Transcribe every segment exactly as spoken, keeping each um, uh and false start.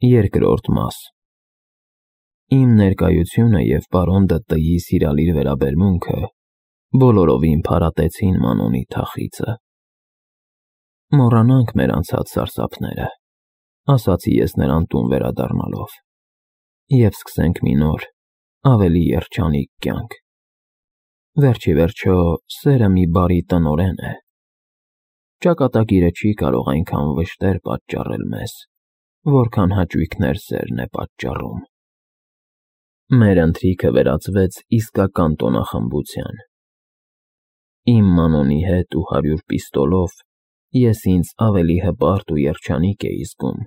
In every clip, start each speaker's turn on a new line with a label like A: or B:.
A: Երկրորդ մաս Իմ ներկայությունը և պարոն Դ.Տ.-ի սիրալիր վերաբերմունքը բոլորովին փարատեցին Մանոնի թախիծը։ «Մոռանանք մեր անցած սարսափները», ասացի ես նրան տուն վերադառնալով, «և սկսենք մի նոր, ավելի երջանիկ կյանք։ Վերջ ի վերջո, սերը մի բարի տնօրեն է. ճակատագիրը չի կարող այնքան վշտեր պատճառել մեզ, որքան հաճույքներ սերն է պատճառում»։ Մեր ընթրիքը վերածվեց իսկական տոնախմբության։ Իմ Մանոնի հետ ու հարյուր պիստոլով ես ինձ ավելի հպարտ ու երջանիկ էի զգում,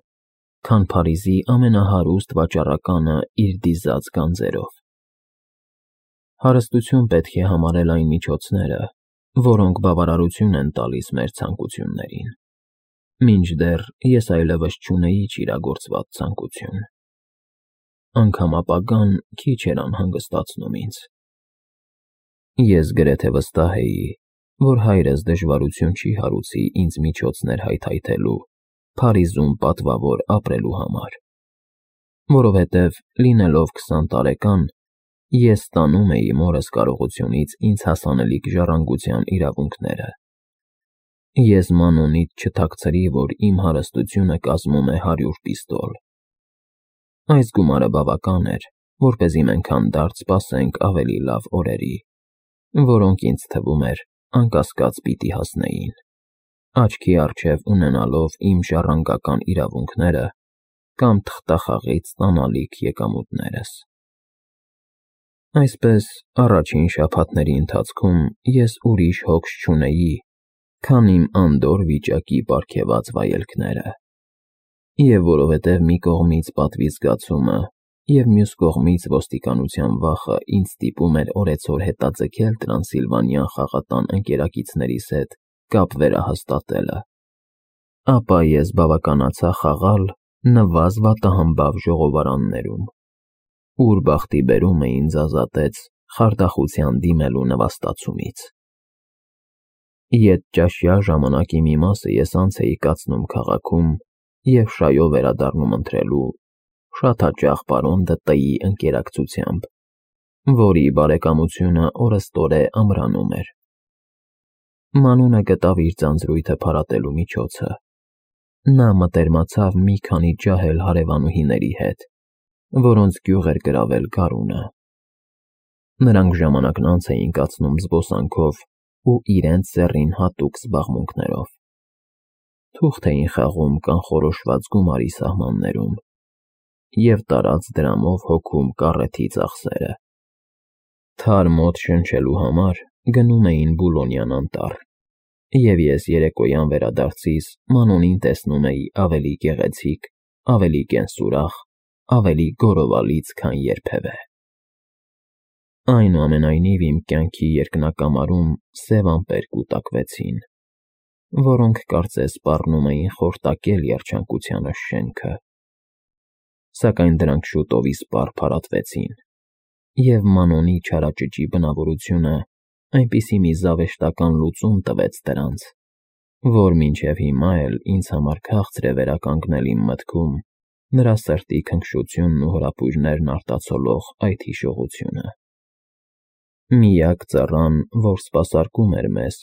A: քան Փարիզի ամենահարուստ վաճառականը իր դիզած գանձերով։ Հարստություն պետք է համարել այն միջոցները, որոնք բավարարություն են տալիս մեր ցանկություններին, մինչդեռ ես այլևս չունեի ճիրագործված ցանկություն։ Անգամ ապագան քիչ էր անհանգստացնում ինձ։ Ես գրեթե վստահ էի, որ հայրս դժվարություն չի հարուցի ինձ միջոցներ հայթայթելու Փարիզում պատվավոր ապրելու համար, որովհետև, լինելով քսան տարեկան, ես ստանում էի մորս կարողությունից ինձ հասանելիք ժառանգության իրավունքները։ Ես Մանոնիդ չթաքցրի, որ իմ հարստությունը կազմում է հարյուր պիստոլ։ Այս գումարը բավական էր, որպեսզի մենք հանդարտ սպասենք ավելի լավ օրերի, որոնք ինձ թվում էր անկասկած պիտի հասնեին, աչքի առջև ունենալով իմ ժառանգական իրավունքները կամ թղթախաղից ստանալիք եկամուտներս։ Այսպես, առաջին շաբաթների ընթացքում ես ուրիշ հոգս չունեի, քան իմ անդորր վիճակի պարգևած վայելքները, և որովհետև մի կողմից պատվի զգացումը և մյուս կողմից ոստիկանության վախը ինձ ստիպում էր օրեցօր հետաձգել Տրանսիլվանյան խաղատան ընկերակիցներիս հետ կապ վերահաստատելը, ապա ես բավականացա խաղալ նվազ վատահամբավ ժողովարաններում, ուր բախտի բերումը ինձ ազատեց խարդախության դիմելու նվաստացումից։ Ետճաշյա ժամանակի մի մասը ես անց էի կացնում քաղաքում և շայով վերադառնում ընթրելու, շատ հաճախ պարոն Դ.Տ.-ի ընկերակցությամբ, որի բարեկամությունը օրըստօրե ամրանում էր։ Մանոնը գտավ իր ձանձրույթը փարատելու միջոցը։ Նա մտերմացավ մի քանի ջահել հարևանուհիների հետ, որոնց գյուղ էր գրավել գարունը։ Նրանք ժամանակն անց էին կացնում զբոսանքով ու իրենց սեռին հատուկ զբաղմունքներով։ Թուղթ էին խաղում կանխորոշված գումարի սահմաններում և տարած դրամով հոգում կառեթի ծախսերը։ Թարմ օդ շնչելու համար գնում էին Բուլոնյան անտառ, և ես երեկոյան վերադարձիս Մանոնին տեսնում էի ավելի գեղեցիկ, ավելի կենսուրախ, ավելի գոռովալից, քան երբևէ։ Այնուամենայնիվ իմ կյանքի երկնակամարում սև ամպեր կուտակվեցին, որոնք կարծես սպառնում էին խորտակել երջանկությանս շենքը։ Սակայն դրանք շուտով իսպառ փարատվեցին, և Մանոնի չարաճճի բնավորությունը այնպիսի մի զավեշտական լուծում տվեց դրանց, որ մինչև հիմա էլ ինձ համար քաղցր է վերականգնել իմ մտքում նրա սրտի քնքշությունն ու հրապույրներն արտացոլող այդ հիշողությունը։ Միակ ծառան, որ սպասարկում էր մեզ,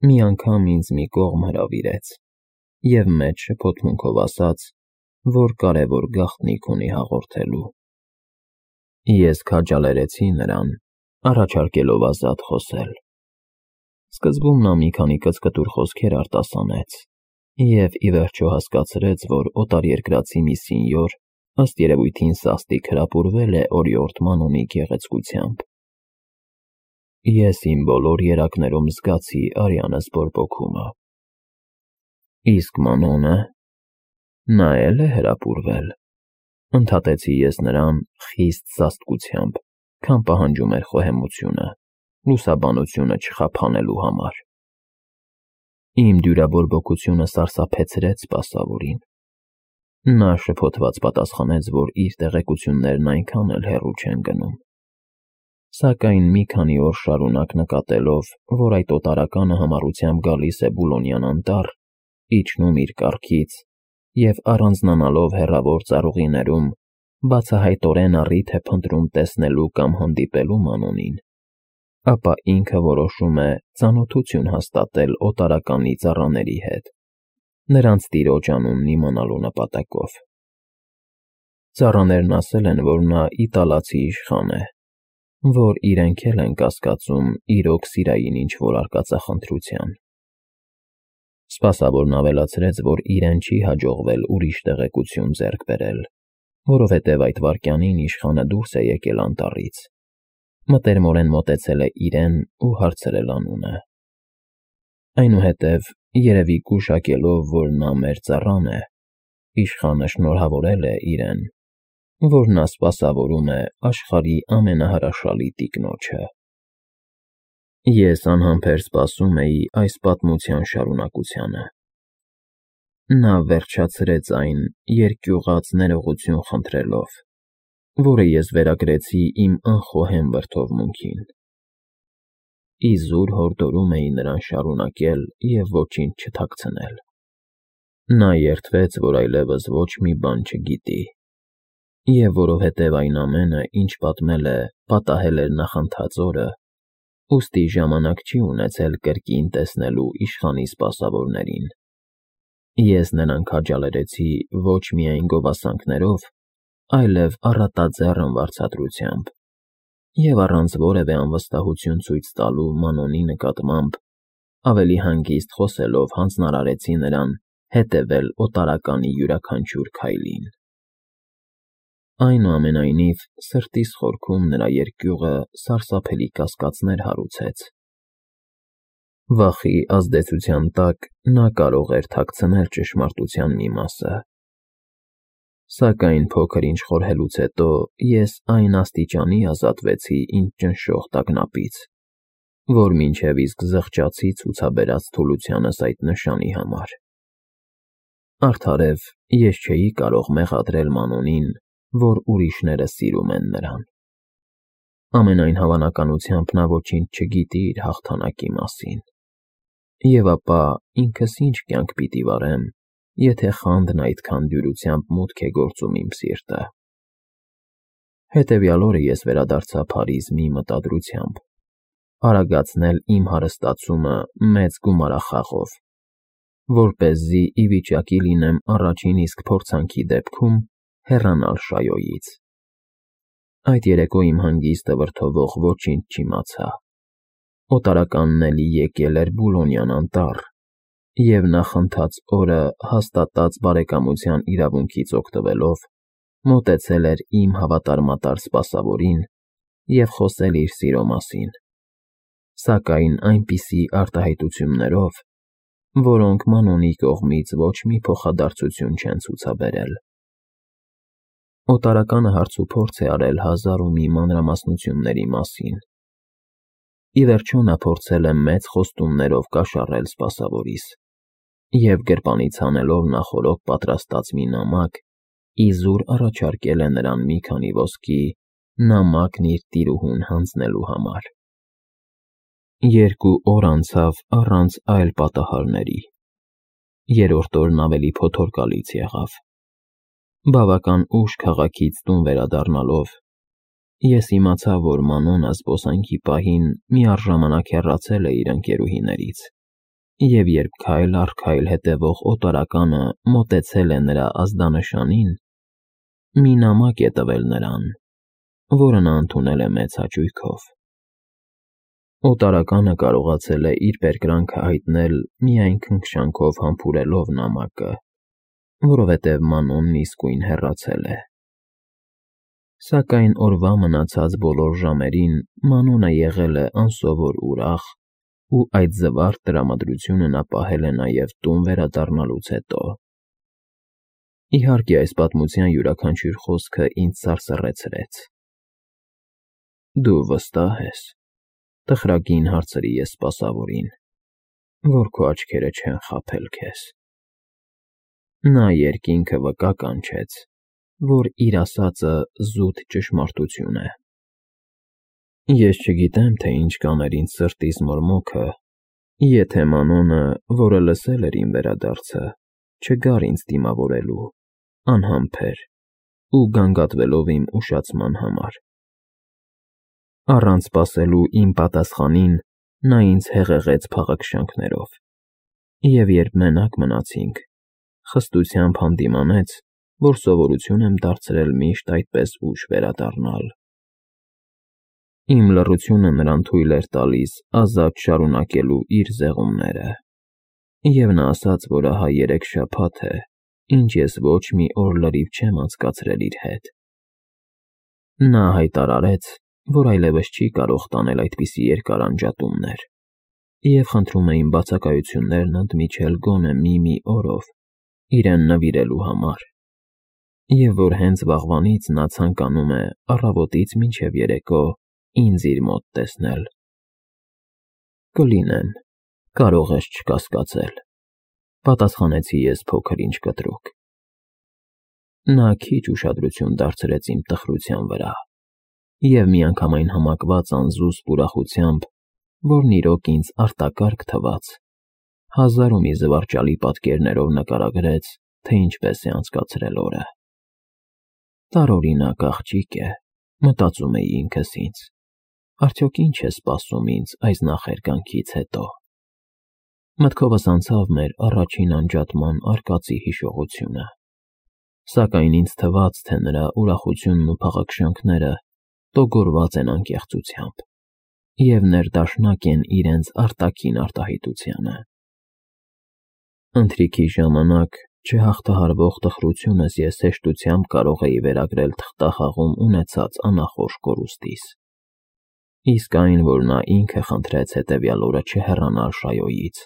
A: մի անգամ ինձ մի կողմ հրավիրեց և մեծ շփոթմունքով ասաց, որ կարևոր գաղտնիք ունի հաղորդելու։ Ես քաջալերեցի նրան, առաջարկելով ազատ խոսել։ Սկզբում նա մի քանի կծկտուր խոսքեր արտասանեց և ի վերջո հասկացրեց, որ օտարերկրացի մի սինյոր ըստ երևույթին սաստիկ հրապուրվել է օրիորդ Մանոնի գեղեցկությամբ։ Ես իմ բոլոր երակներում զգացի արյանս բորբոքումը։ Իսկ Մանոնը… նա էլ է հրապուրվել, ընդհատեցի ես նրան խիստ սաստկությամբ, քան պահանջում էր խոհեմությունը, լուսաբանությունը չխափանելու համար։ Իմ դյուրաբորբոքությունը սարսափեցրեց սպասավորին։ Նա շփոթված պատասխանեց, որ իր տեղեկություններն այնքան էլ հեռու չեն գնում։ Սակայն մի քանի օր շարունակ նկատելով, որ այդ օտարականը համառությամբ գալիս է Բուլոնյան անտառ, իջնում իր կառքից և առանձնանալով հեռավոր ծառուղիներում, բացահայտորեն առիթ է փնտրում տեսնելու կամ հանդիպելու Մանոնին, ապա ինքը որոշում է ծանոթություն հաստատել օտարականի ծառաների հետ, նրանց տիրոջ անունն իմանալու նպատակով։ Ծառաներն ասել են, որ նա իտալացի իշխան է, որ իրենք էլ են կասկածում իրոք սիրային ինչ-որ արկածախնդրության։ Սպասավորն ավելացրեց, որ իրեն չի հաջողվել ուրիշ տեղեկություն ձեռք բերել, որովհետև այդ վայրկյանին իշխանը դուրս է եկել անտառից, մտերմորեն մոտեցել է իրեն ու հարցրել անունը։ Այնուհետև, երևի գուշակելով, որ նա մեր ծառան է, իշխանը շնորհավորել է իրեն, որ նա սպասավորում է աշխարհի ամենահրաշալի տիկնոջը։ Ես անհամբեր սպասում էի այս պատմության շարունակությանը։ Նա վերջացրեց այն երկյուղած ներողություն խնդրելով, որը ես վերագրեցի իմ անխոհեմ վրդովմունքին։ Իզուր հորդորում էի նրան շարունակել և ոչինչ չթաքցնել։ Նա երդվեց, որ այլևս ոչ մի բան չգիտի, և որովհետև այն ամենը, ինչ պատմել է, պատահել էր նախանցած օրը, ուստի ժամանակ չի ունեցել կրկին տեսնելու իշխանի սպասավորներին։ Ես նրան քաջալերեցի ոչ միայն գովասանքներով, այլև առատաձեռն վարձատրությամբ, և առանց որևէ անվստահություն ցույց տալու Մանոնի նկատմամբ, ավելի հանգիստ խոսելով հանձնարարեցի նրան հետևել օտարականի յուրաքանչյուր քայլին։ Այնուամենայնիվ, սրտիս խորքում նրա երկյուղը սարսափելի կասկածներ հարուցեց։ Վախի ազդեցության տակ նա կարող էր թաքցնել ճշմարտության մի մասը։ Սակայն փոքր-ինչ խորհելուց հետո ես այն աստիճանի ազատվեցի ինձ ճնշող տագնապից, որ մինչև իսկ զղջացի ցուցաբերած թուլությանս այդ նշանի համար։ Արդարև, ես չէի կարող մեղադրել Մանոնին, որ ուրիշները սիրում են նրան։ Ամենայն հավանականությամբ նա ոչինչ չգիտի իր հաղթանակի մասին։ Եվ ապա ինքս ինչ կյանք պիտի վարեմ, եթե խանդն այդքան դյուրությամբ մուտք է գործում իմ սիրտը։ Հետևյալ օրը ես վերադարձա Փարիզ մի մտադրությամբ՝ արագացնել իմ հարստացումը մեծ գումարախաղով, որպեսզի ի վիճակի լինեմ առաջին իսկ փորձանքի դեպքում հեռանալ Շայոյից։ Այդ երեկո իմ հանգիստը վրդովող ոչինչ չիմացա։ Օտարականն էլի եկել էր Բուլոնյան անտառ և նախընթաց օրը հաստատած բարեկամության իրավունքից օգտվելով, մոտեցել էր իմ հավատարմատար սպասավորին և խոսել իր սիրո մասին, սակայն այնպիսի արտահայտություններով, որոնք Մանոնի կողմից ոչ մի փոխադարձություն չեն ցուցաբերել։ Օտարականը հարցուփորձ է արել հազար ու մի մանրամասնությունների մասին։ Ի վերջո նա փորձել է մեծ խոստումներով կաշառել սպասավորիս և գրպանից հանելով նախօրոք պատրաստած մի նամակ, իզուր առաջարկել է նրան մի քանի ոսկի նամակն իր տիրուհուն հանձնելու համար։ Երկու օր անցավ առանց այլ պատահարների։ Երրորդ օրն ավելի փոթորկալից եղավ։ Բավական ուշ քաղաքից տուն վերադառնալով, ես իմացա, որ Մանոնը զբոսանքի պահին միառժամանակ հեռացել է իր ընկերուհիներից, և երբ քայլ առ քայլ հետևող օտարականը մոտեցել է նրա ազդանշանին, մի նամակ է տվել նրան, որը նա ընդունել է մեծ հաճույքով։ Օտարականը կարողացել է իր պերկրանքը հայտնել միայն քնքշանքով համբուրելով նամակը, որովհետև Մանոնն իսկույն հեռացել է։ Սակայն օրվա մնացած բոլոր ժամերին Մանոնը եղել է անսովոր ուրախ, ու այդ զվարթ տրամադրությունը նա պահել է նաև տուն վերադառնալուց հետո։ Իհարկե, այս պատմության յուրաքանչյուր խոսքը ինձ սարսռեցրեց։ Դու վստահ ես, տխրագին հարցրի ես սպասավորին, որ քո աչքերը չեն խաբել քեզ։ Նա երկինքը վկա կանչեց, որ իր ասածը զուտ ճշմարտություն է։ Ես չգիտեմ, թե ինչ կաներ ինձ սրտիս մորմոքը, եթե Մանոնը, որը լսել էր իմ վերադարձը, չգար ինձ դիմավորելու, անհամբեր ու գանգատվելով իմ ուշացման համար։ Առանց սպասելու իմ պատասխանին նա ինձ հեղեղեց փաղաքշանքներով, և երբ մենակ մնացինք, խստությամբ հանդիմանեց, որ սովորություն եմ դարձրել միշտ այդպես ուշ վերադառնալ։ Իմ լռությունը նրան թույլ էր տալիս ազատ շարունակելու իր զեղումները, և նա ասաց, որ ահա երեք շաբաթ է, ինչ ես ոչ մի օր լրիվ չեմ անցկացրել իր հետ։ Նա հայտարարեց, որ այլևս չի կարող տանել այդպիսի երկար անջատումներ, և խնդրում է իմ բացակայություններն ընդմիջել գոնե մի-մի օրով իրեն նվիրելու համար, և որ հենց վաղվանից նա ցանկանում է առավոտից մինչև երեկո ինձ իր մոտ տեսնել։ Կլինեմ, կարող ես չկասկածել, պատասխանեցի ես փոքր-ինչ կտրուկ։ Նա քիչ ուշադրություն դարձրեց իմ տխրության վրա, և միանգամայն համակված անզուսպ ուրախությամբ, որն իրոք ինձ արտակարգ թվաց, հազար ու մի զվարճալի պատկերներով նկարագրեց, թե ինչպես է անցկացրել օրը։ Տարօրինակ աղջիկ է, մտածում էի ինքս ինձ, արդյոք ինչ է սպասում ինձ այս նախերգանքից հետո։ Մտքովս անցավ մեր առաջին անջատման արկածի հիշողությունը, սակայն ինձ թվաց, թե նրա ուրախությունն ու փաղաքշանքները տոգորված են անկեղծությամբ և ներդաշնակ են իրենց արտաքին արտահայտությանը։ Ընթրիքի ժամանակ չհաղթահարվող տխրությունս ես հեշտությամբ կարող էի վերագրել թղթախաղում ունեցած անախորժ կորուստիս, իսկ այն, որ նա ինքը խնդրեց հետևյալ օրը չհեռանալ Շայոյից,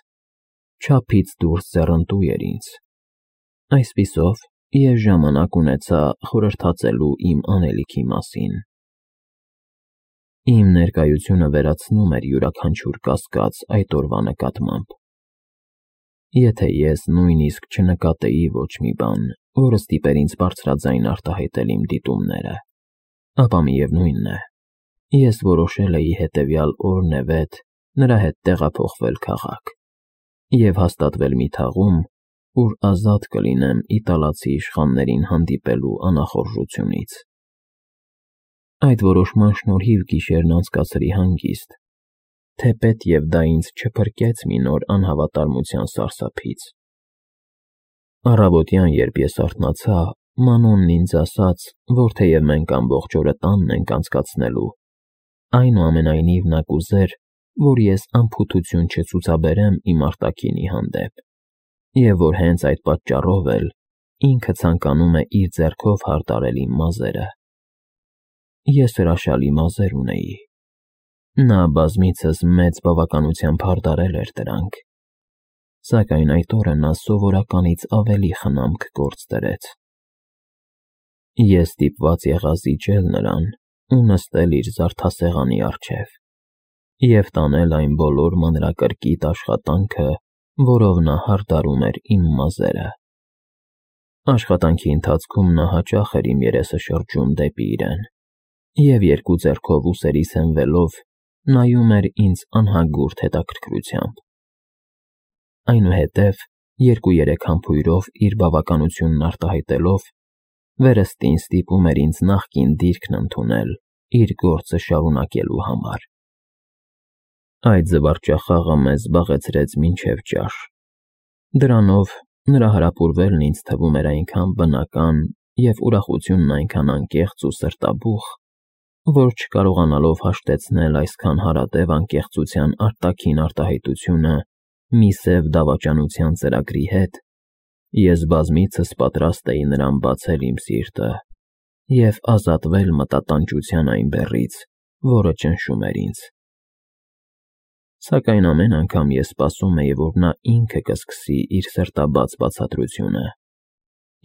A: չափից դուրս ձեռնտու էր ինձ։ Այսպիսով, ես ժամանակ ունեցա խորհրդածելու իմ անելիքի մասին։ Իմ ներկայությունը վերացնում էր յուրաքանչյուր կասկած այդ օրվա նկատմամբ։ Եթե ես նույնիսկ չնկատեի ոչ մի բան, որը ստիպեր ինձ բարձրաձայն արտահայտել իմ դիտումները, ապա միևնույն է, ես որոշել էի հետևյալ օրն-է-վետ նրա հետ տեղափոխվել քաղաք և հաստատվել մի թաղում, ուր ազատ կլինեմ իտալացի իշխաններին հանդիպելու անախորժությունից։ Այդ որոշման շնորհիվ գիշերն անցկացրի հանգիստ, թեպետ և դա ինձ չփրկեց մի նոր անհավատարմության սարսափից։ Առավոտյան, երբ ես արթնացա, Մանոնն ինձ ասաց, որ թեև մենք ամբողջ օրը տանն ենք անցկացնելու, այնուամենայնիվ նա կուզեր, որ ես անփութություն չցուցաբերեմ իմ արտաքինի հանդեպ, և որ հենց այդ պատճառով էլ ինքը ցանկանում է իր ձեռքով հարդարել իմ մազերը։ Ես հրաշալի մազեր ունեի։ Նա բազմիցս մեծ բավականությամբ հարդարել էր դրանք, սակայն այդ օրը նա սովորականից ավելի խնամք գործ դրեց։ Ես ստիպված եղա զիջել նրան ու նստել իր զարդասեղանի առջև և տանել այն բոլոր մանրակրկիտ աշխատանքը, որով նա հարդարում էր իմ մազերը։ Աշխատանքի ընթացքում նա հաճախ էր իմ երեսը շրջում դեպի իրեն և երկու ձեռքով ուսերիս հենվելով նայում էր ինձ անհագուրդ հետաքրքրությամբ։ Այնուհետև, երկու-երեք համբույրով իր բավականությունն արտահայտելով, վերստին ստիպում էր ինձ նախկին դիրքն ընդունել իր գործը շարունակելու համար։ Այդ զվարճախաղը մեզ զբաղեցրեց մինչև ճաշ։ Դրանով նրա հարապուրվելն ինձ թվում էր այնքան բնական և ուրախությունն այնքան անկեղծ ու սրտաբուխ, որ չկարողանալով հաշտեցնել այսքան հարատև անկեղծության արտաքին արտահայտությունը մի սև դավաճանության ծրագրի հետ, ես բազմիցս պատրաստ էի նրան բացել իմ սիրտը և ազատվել մտատանջության այն բեռից, որը ճնշում էր ինձ։ Սակայն ամեն անգամ ես սպասում էի, որ նա ինքը կսկսի իր սրտաբաց բացատրությունը,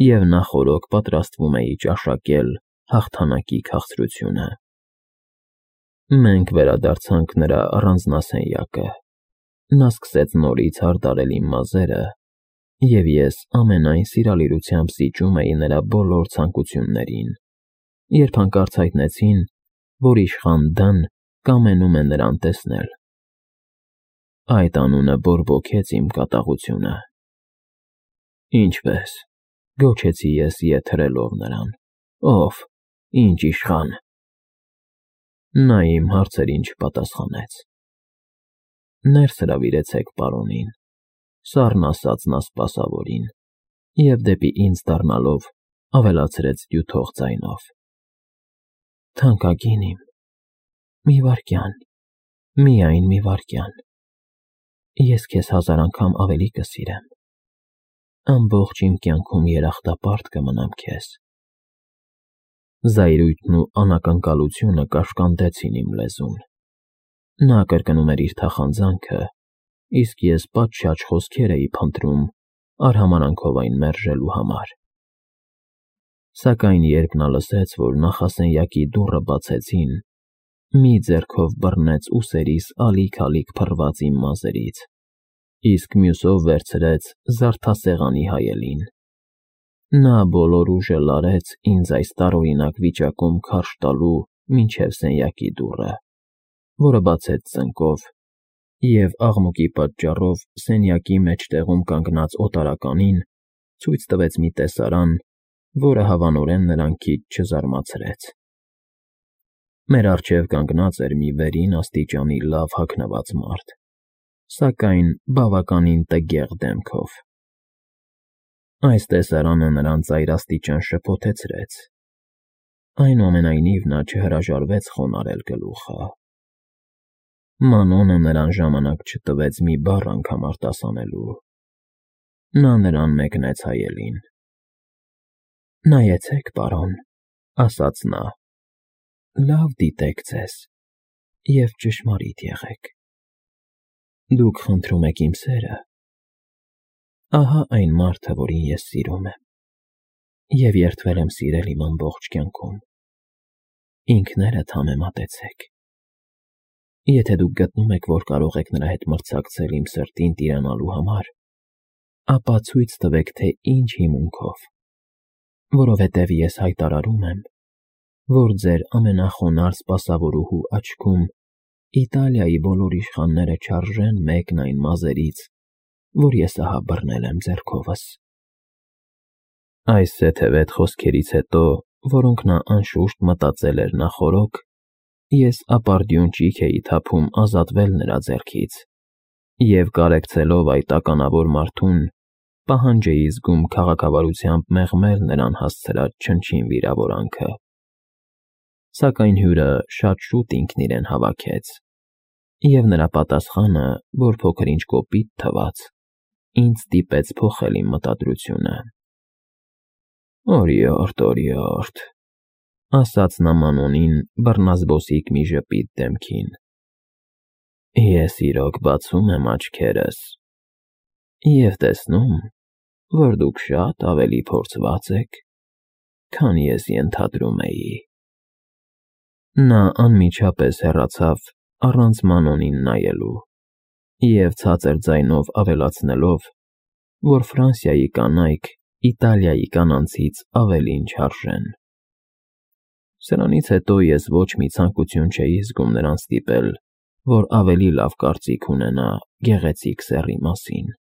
A: և նախօրոք պատրաստվում էի ճաշակել հաղթանակի քաղցրությունը։ Մենք վերադարձանք նրա առանձնասենյակը։ Նա սկսեց նորից հարդարել իմ մազերը, և ես ամենայն սիրալիրությամբ զիջում էի նրա բոլոր ցանկություններին, երբ հանկարծ հայտնեցին, որ իշխան Դ֊ն կամենում է նրան տեսնել։ Այդ անունը բորբոքեց իմ կատաղությունը։ Ինչպե՞ս, գոչեցի ես ետ հրելով նրան, ով, ինչ իշխան։ Նա իմ հարցերին չպատասխանեց։ Ներս հրավիրեցեք պարոնին, սառն ասաց նա սպասավորին, և դեպի ինձ դառնալով ավելացրեց դյութող ձայնով. Թանկագին իմ, մի վայրկյան, միայն մի վայրկյան, ես քեզ հազար անգամ ավելի կսիրեմ, ամբողջ իմ կյանքում երախտապարտ կմնամ քեզ։ Զայրույթն ու անակնկալությունը կաշկանդեցին իմ լեզուն։ Նա կրկնում էր իր թախանձանքը, իսկ ես պատշաճ խոսքեր էի փնտրում արհամարհանքով այն մերժելու համար։ Սակայն երբ նա լսեց, որ նախասենյակի դուռը բացեցին, մի ձեռքով բռնեց ուսերիս ալիք֊ալիք փռված իմ մազերից, իսկ մյուսով վերցրեց զարդասեղանի հայելին։ Նա բոլոր ուժը լարեց ինձ այս տարօրինակ վիճակում քարշ տալու մինչև սենյակի դուռը, որը բացեց ծնկով, և աղմուկի պատճառով սենյակի մեջտեղում կանգնած օտարականին ցույց տվեց մի տեսարան, որը հավանորեն նրան քիչ չզարմացրեց։ Մեր առջև կանգնած էր մի վերին աստիճանի լավ հագնված մարդ, սակայն բավականին տգեղ դեմքով։ Այս տեսարանը նրան ծայրաստիճան շփոթեցրեց, այնուամենայնիվ նա չհրաժարվեց խոնարհել գլուխը։ Մանոնը նրան ժամանակ չտվեց մի բառ անգամ արտասանելու։ Նա նրան մեկնեց հայելին։ Նայեցեք, պարոն, ասաց նա, լավ դիտեք ձեզ և ճշմարիտ եղեք։ Դուք խնդրում եք իմ սերը։ Ահա այն մարդը, որին ես սիրում եմ և երդվել եմ սիրել իմ ամբողջ կյանքում։ Ինքներդ համեմատեցեք։ Եթե դուք գտնում եք, որ կարող եք նրա հետ մրցակցել իմ սրտին տիրանալու համար, ապա ցույց տվեք, թե ինչ հիմունքով, որովհետև ես հայտարարում եմ, որ ձեր ամենախոնարհ սպասավորուհու աչքում Իտալիայի բոլոր իշխանները չարժեն մեկն այն մազերից, որ ես ահա բռնել եմ ձեռքովս։ Այս սեթևետ խոսքերից հետո, որոնք նա անշուշտ մտածել էր նախօրոք, ես ապարդյուն ճիգ էի թափում ազատվել նրա ձեռքից և կարեկցելով այդ ականավոր մարդուն, պահանջ էի զգում քաղաքավարությամբ մեղմել նրան հասցրած չնչին վիրավորանքը։ Սակայն հյուրը շատ շուտ ինքն իրեն հավաքեց, և նրա պատասխանը, որ փոքր-ինչ կոպիտ թվաց, ինձ ստիպեց փոխել իմ մտադրությունը։ Օրիորդ, օրիորդ, ասաց նա Մանոնին բռնազբոսիկ մի ժպիտ դեմքին, ես իրոք բացում եմ աչքերս և տեսնում, որ դուք շատ ավելի փորձված եք, քան ես ենթադրում էի։ Նա անմիջապես հեռացավ առանց Մանոնին նայելու և ցածր ձայնով ավելացնելով, որ Ֆրանսիայի կանայք Իտալիայի կանանցից ավելին չարժեն։ Սրանից հետո ես ոչ մի ցանկություն չէի զգում նրան ստիպել, որ ավելի լավ կարծիք ունենա գեղեցիկ սեռի մասին։